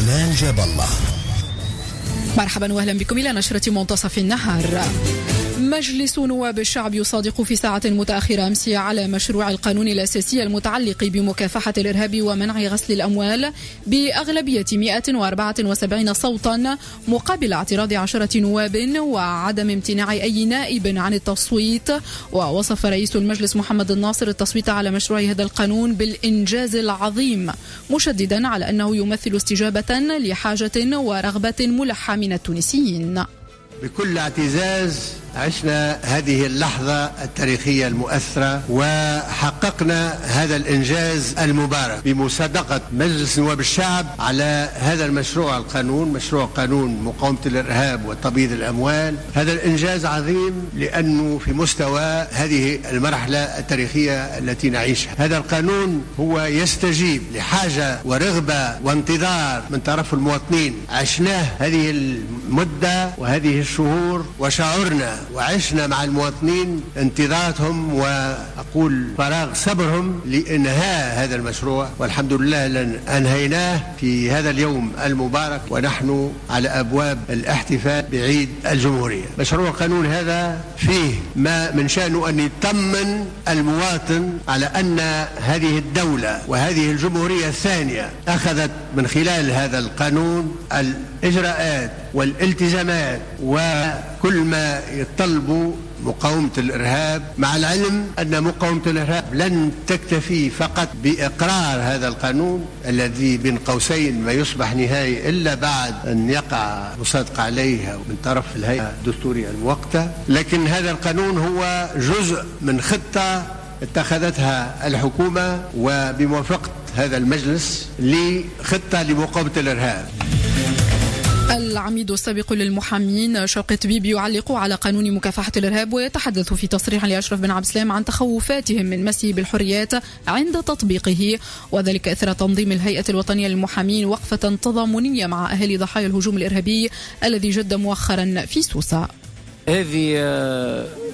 منال جاب الله. مرحبا واهلا بكم الى نشرة منتصف النهار. مجلس نواب الشعب يصادق في ساعة متأخرة أمس على مشروع القانون الأساسي المتعلق بمكافحة الإرهاب ومنع غسل الأموال بأغلبية 174 صوتا مقابل اعتراض 10 نواب وعدم امتناع أي نائب عن التصويت. ووصف رئيس المجلس محمد الناصر التصويت على مشروع هذا القانون بالإنجاز العظيم، مشددا على أنه يمثل استجابة لحاجة ورغبة ملحة من التونسيين. بكل اعتزاز عشنا هذه اللحظة التاريخية المؤثرة وحققنا هذا الإنجاز المبارك بمصادقة مجلس نواب الشعب على هذا المشروع القانون، مشروع قانون مقاومة الإرهاب وتبييض الأموال. هذا الإنجاز عظيم لأنه في مستوى هذه المرحلة التاريخية التي نعيشها. هذا القانون هو يستجيب لحاجة ورغبة وانتظار من طرف المواطنين، عشناه هذه المدة وهذه الشهور وشعرنا وعشنا مع المواطنين انتظاراتهم وأقول فراغ صبرهم لإنهاء هذا المشروع، والحمد لله لأن أنهيناه في هذا اليوم المبارك ونحن على أبواب الاحتفال بعيد الجمهورية. مشروع القانون هذا فيه ما من شأنه أن يطمن المواطن على أن هذه الدولة وهذه الجمهورية الثانية أخذت من خلال هذا القانون الإجراءات والالتزامات وكل ما يتطلبوا مقاومة الإرهاب، مع العلم أن مقاومة الإرهاب لن تكتفي فقط بإقرار هذا القانون الذي بين قوسين ما يصبح نهائي إلا بعد أن يقع مصادقة عليه من طرف الهيئة الدستورية المؤقتة، لكن هذا القانون هو جزء من خطة اتخذتها الحكومة وبموافقة هذا المجلس لخطة لمقاومة الإرهاب. العميد السابق للمحامين شوقي طبيب يعلق على قانون مكافحة الإرهاب ويتحدث في تصريح لأشرف بن عبد السلام عن تخوفاتهم من مسه بالحريات عند تطبيقه، وذلك إثر تنظيم الهيئة الوطنية للمحامين وقفة تضامنية مع أهالي ضحايا الهجوم الإرهابي الذي جد مؤخرا في سوسة. هذه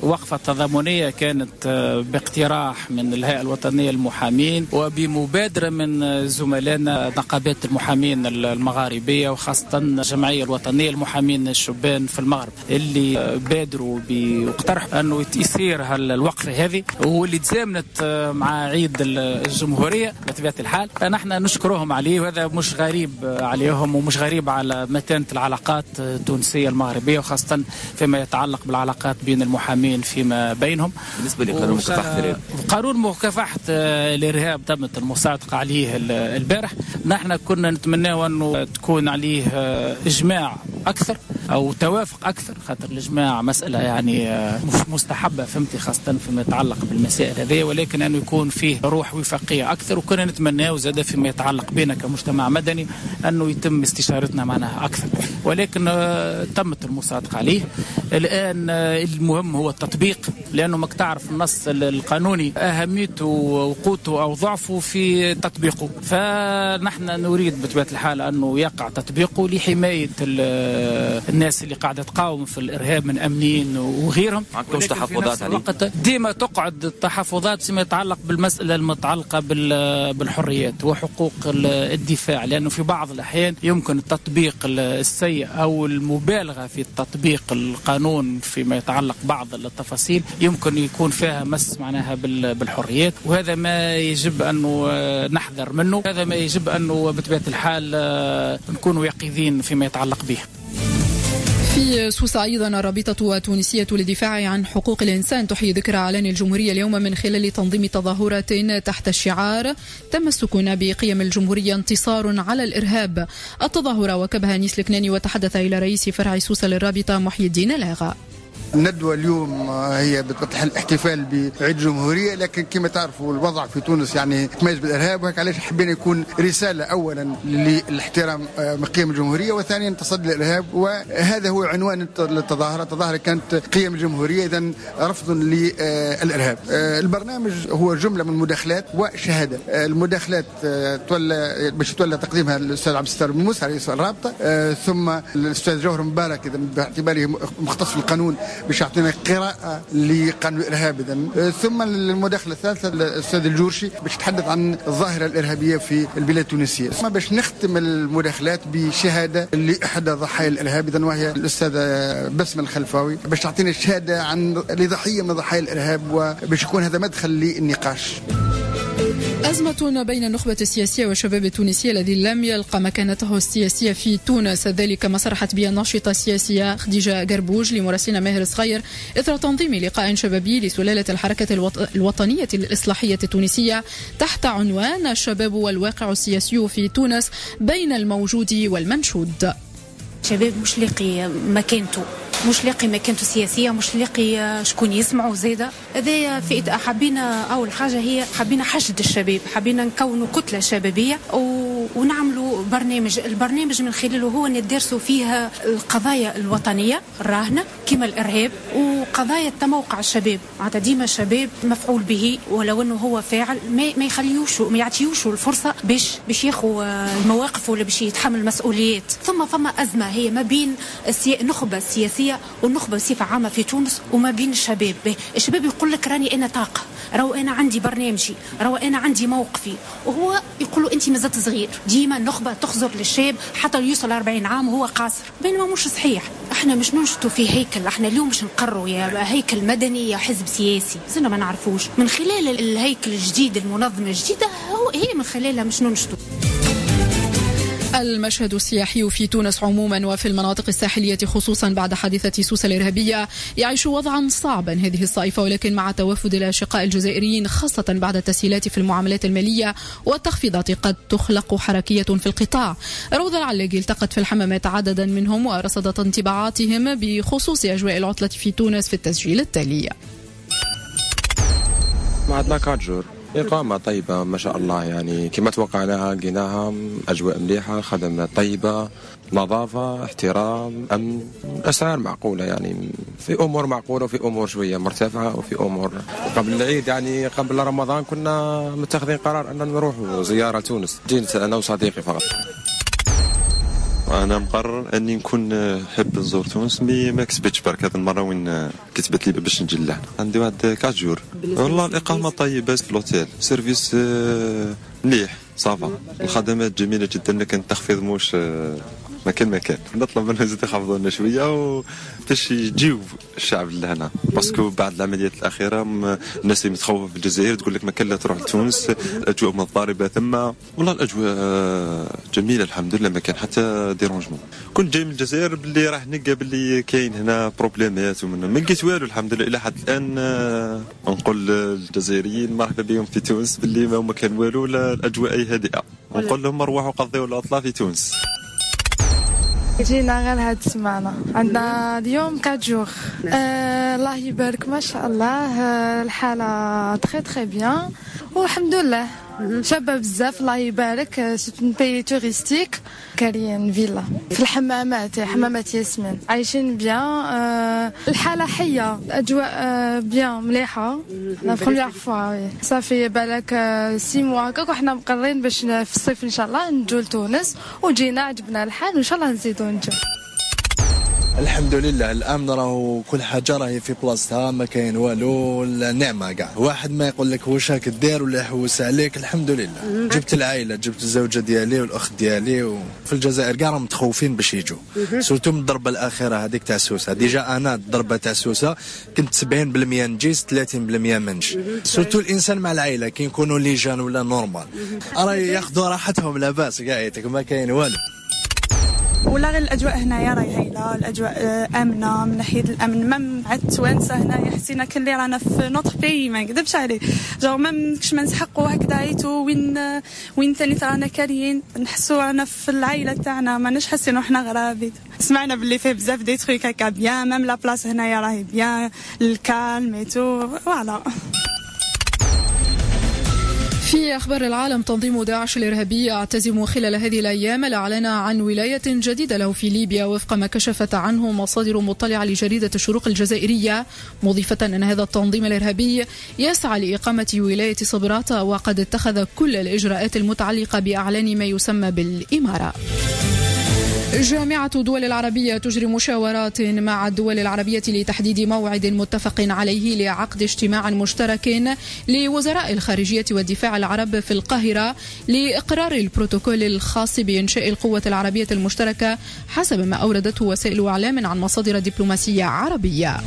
وقفة تضامنية كانت باقتراح من الهيئة الوطنية للمحامين وبمبادرة من زملائنا نقابات المحامين المغاربية وخاصة الجمعية الوطنية للمحامين الشبان في المغرب، اللي بادروا واقترحوا أنه يصير الوقفة هذه واللي تزامنت مع عيد الجمهورية بطبيعة الحال. نحن نشكرهم عليه، وهذا مش غريب عليهم ومش غريب على متانة العلاقات التونسية المغربية وخاصة فيما يتعلق بالعلاقات بين المحامين فيما بينهم. بالنسبة لقانون مكافحة الإرهاب، قانون مكافحة الإرهاب تمت المصادقة عليه البارح. نحن كنا نتمنى أنه تكون عليه إجماع أكثر أو توافق أكثر، خاطر الإجماع مسألة يعني مش مستحبة، فهمتي، خاصة فيما يتعلق بالمسائل هذه، ولكن أنه يكون فيه روح وفاقية أكثر. وكنا نتمناه زاد فيما يتعلق بنا كمجتمع مدني أنه يتم استشارتنا معنا أكثر، ولكن تمت المصادقة عليه. الآن المهم هو التطبيق، لأنه ماك تعرف النص القانوني أهميته وقوته أو ضعفه في تطبيقه، فنحن نريد بطبيعة الحال أنه يقع تطبيقه لحماية الناس اللي قاعدة تقاوم في الإرهاب من أمنيين وغيرهم. عندكمش تحفظات عليه؟ ديما تقعد التحفظات فيما يتعلق بالمسألة المتعلقة بالحريات وحقوق الدفاع، لأنه في بعض الأحيان يمكن التطبيق السيء أو المبالغة في تطبيق القانون فيما يتعلق بعض التفاصيل يمكن يكون فيها مس معناها بالحريات، وهذا ما يجب أنه نحذر منه، هذا ما يجب أنه بطبيعة الحال نكون يقظين فيما يتعلق به. في سوسة أيضا الرابطة التونسية للدفاع عن حقوق الإنسان تحيي ذكرى إعلان الجمهورية اليوم من خلال تنظيم تظاهرة تحت الشعار تمسكنا بقيم الجمهورية انتصار على الإرهاب. التظاهرة وكبها نيس الكناني وتحدث إلى رئيس فرع سوسة للرابطة محي الدين لاغا. الندوة اليوم هي بتفتح الاحتفال بعيد الجمهورية، لكن كما تعرفوا الوضع في تونس يعني تميز بالإرهاب، وهيك علاش حبينا يكون رسالة أولا للاحترام قيم الجمهورية، وثانيا تصدي للإرهاب، وهذا هو عنوان التظاهرة. التظاهرة كانت قيم الجمهورية، إذا رفض للإرهاب. البرنامج هو جملة من مداخلات وشهادة. المداخلات تولى باش تولى تقديمها الأستاذ عبد الستار بن موسى رئيس الرابطة، ثم الأستاذ جوهر مبارك إذا باعتباره مختص في القانون باش يعطينا قراءة لقانون الإرهاب. إذن ثم المداخلة الثالثة الأستاذ الجورشي باش يتحدث عن الظاهرة الإرهابية في البلاد التونسية. ثم باش نختم المداخلات بشهادة لإحدى ضحايا الإرهاب، إذن وهي الأستاذة بسمة الخلفاوي، باش تعطينا شهادة عن لضحية من ضحايا الإرهاب، وباش يكون هذا مدخل للنقاش. أزمة بين النخبة السياسية والشباب التونسي الذي لم يلقى مكانته السياسية في تونس، ذلك ما صرحت به الناشطة السياسية خديجة قربوج لمراسلنا ماهر صغير إثر تنظيم لقاء شبابي لسلالة الحركة الوطنية الإصلاحية التونسية تحت عنوان الشباب والواقع السياسي في تونس بين الموجود والمنشود. الشباب مش لاقي مكانته، مش لاقي مكانته السياسية، مش لاقي شكون يسمعوا زاده. هذايا فئة حبينا، اول حاجة هي حبينا حشد الشباب، حبينا نكونوا كتلة شبابية ونعملوا برنامج. البرنامج من خلاله هو ندرسوا فيها القضايا الوطنية الراهنة كما الارهاب وقضايا تموقع الشباب. معناتها ديما الشباب مفعول به، ولو انه هو فاعل ما يخليوش، ما يعطيوش الفرصة باش ياخذ المواقف ولا باش يتحمل مسؤوليات. ثم فما ازمة هي ما بين النخبة السياسية والنخبة بصفة عامة في تونس وما بين الشباب. الشباب يقول لك راني أنا طاقة، راهو أنا عندي برنامجي، راهو أنا عندي موقفي، وهو يقول له أنت مازلت صغير. ديما النخبة تخزر للشاب حتى يوصل 40 عام وهو قاصر، بينما مش صحيح. احنا مش ننشطوا في هيكل، احنا اليوم مش نقروا يا هيكل مدني يا حزب سياسي، زلنا ما نعرفوش. من خلال الهيكل الجديد، المنظمة الجديدة، هي من خلالها مش ننشطوا. المشهد السياحي في تونس عموما وفي المناطق الساحلية خصوصا بعد حادثة سوسة الإرهابية يعيش وضعا صعبا هذه الصيفة، ولكن مع توافد الأشقاء الجزائريين خاصة بعد التسهيلات في المعاملات المالية والتخفيضات قد تخلق حركية في القطاع. روضة العلاقي التقت في الحمامات عددا منهم ورصدت انطباعاتهم بخصوص أجواء العطلة في تونس في التسجيل التالي. عندنا 4 jours إقامة طيبة ما شاء الله، يعني كما توقعناها لقيناها، أجواء مليحة، خدمات طيبة، نظافة، احترام، أمن، أسعار معقولة، يعني في أمور معقولة وفي أمور شوية مرتفعة وفي أمور. قبل العيد يعني قبل رمضان كنا متخذين قرار أن نروح زيارة تونس، جيت أنا وصديقي فقط. أنا مقرر أني نكون حب نزور تونس، mais ما كتبتش برك هذه المرة وين كتبت لي باش نجي لهنا. عندي واحد 4 jours. والله الإقامة طيبة في l'hôtel، service مليح، ça va، الخدمات جميلة جدا، لكن التخفيض موش ما كان. نطلب منهم يزيدوا يخفضوا لنا شوية باش يجيو الشعب لهنا، parce que بعد العمليات الاخيرة الناس اللي متخوفه في الجزائر تقول لك ما كان لا تروح لتونس، الاجواء مضطربة ثم. والله الاجواء جميلة الحمد لله، ما كان حتى dérangement. كنت جاي من الجزائر باللي راح نلقى باللي كاين هنا problème ات ومن ما لقيت والو الحمد لله الى حد الان. نقول للجزائريين مرحبا بهم في تونس، باللي ما كان والو، الاجواء هادئة، ونقول لهم روحوا قضيوا العطلة في تونس. جينا غير هاد السمانة، عندنا اليوم 4 jours. الله يبارك ما شاء الله، الحالة très très bien والحمد لله، شابة بزاف الله يبارك. c'est un pays touristique، كاريين فيلا في الحمامات، حمامات ياسمين، عايشين bien، الحالة حية، الأجواء bien مليحة. la première fois ça fait بالك 6 mois هكاك وحنا مقررين باش في الصيف إن شاء الله نجو لتونس، وجينا عجبنا الحال وإن شاء الله نزيدو نجو. الحمد لله الامن راهو كل حاجة راهي في بلاصتها، ما كاين والو، النعمة كاع، واحد ما يقول لك واش راك دير ولا يحوس عليك. الحمد لله جبت العائلة، جبت الزوجة ديالي والاخت ديالي، وفي الجزائر كاع راهم متخوفين باش يجوا، surtout من الضربة الاخيرة هذيك تاع سوسة. déjà انا الضربة تاع سوسة كنت 70% نجيز 30% منش. surtout الانسان مع العائلة كي يكونوا les jeunes ولا normal راه ياخذوا راحتهم لاباس كاع، ما كاين والو. ولا غير الاجواء هنايا راهي هايلة، الاجواء امنه من ناحية الامن، même مع التوانسة هنايا حسينا كلي رانا في notre pays، ما نكذبش عليه، genre même كش ما نسحقوا هكذا عيتو وين ثاني رانا كاريين، نحسوا رانا في العائلة تاعنا، ماناش حاسين روحنا غرابي. سمعنا باللي فيه بزاف des trucs هكا bien، même la place هنايا راهي bien، ال calme et tout voilà. في أخبار العالم، تنظيم داعش الإرهابي يعتزم خلال هذه الأيام الإعلان عن ولاية جديدة له في ليبيا، وفق ما كشفت عنه مصادر مطلعة لجريدة الشروق الجزائرية، مضيفة أن هذا التنظيم الإرهابي يسعى لإقامة ولاية صبراتة، وقد اتخذ كل الإجراءات المتعلقة بإعلان ما يسمى بالإمارة. جامعة الدول العربية تجري مشاورات مع الدول العربية لتحديد موعد متفق عليه لعقد اجتماع مشترك لوزراء الخارجية والدفاع العرب في القاهرة لإقرار البروتوكول الخاص بإنشاء القوة العربية المشتركة، حسب ما أوردته وسائل إعلام عن مصادر دبلوماسية عربية.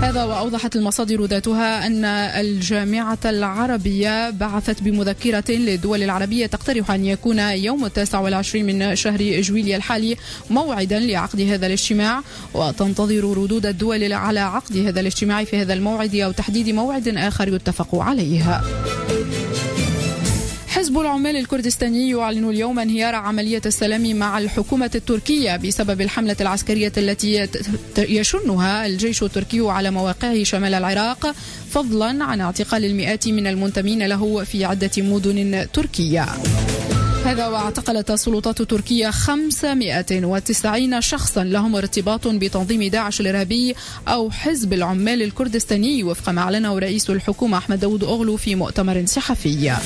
هذا وأوضحت المصادر ذاتها أن الجامعة العربية بعثت بمذكرة للدول العربية تقترح أن يكون يوم 29 من شهر جويلية الحالي موعدا لعقد هذا الاجتماع، وتنتظر ردود الدول على عقد هذا الاجتماع في هذا الموعد أو تحديد موعد آخر يتفق عليه. حزب العمال الكردستاني يعلن اليوم انهيار عملية السلام مع الحكومة التركية بسبب الحملة العسكرية التي يشنها الجيش التركي على مواقعه شمال العراق، فضلا عن اعتقال المئات من المنتمين له في عدة مدن تركية. هذا واعتقلت السلطات التركية 590 شخصا لهم ارتباط بتنظيم داعش الإرهابي أو حزب العمال الكردستاني، وفق ما أعلنه رئيس الحكومة أحمد داود أغلو في مؤتمر صحفي.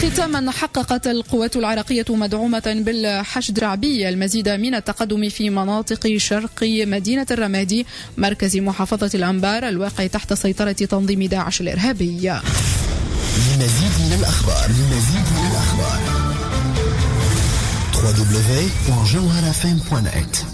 ختاما، حققت القوات العراقية مدعومة بالحشد الشعبي المزيد من التقدم في مناطق شرق مدينة الرمادي مركز محافظة الأنبار الواقع تحت سيطرة تنظيم داعش الإرهابي. لمزيد من الأخبار www.jawharafm.net.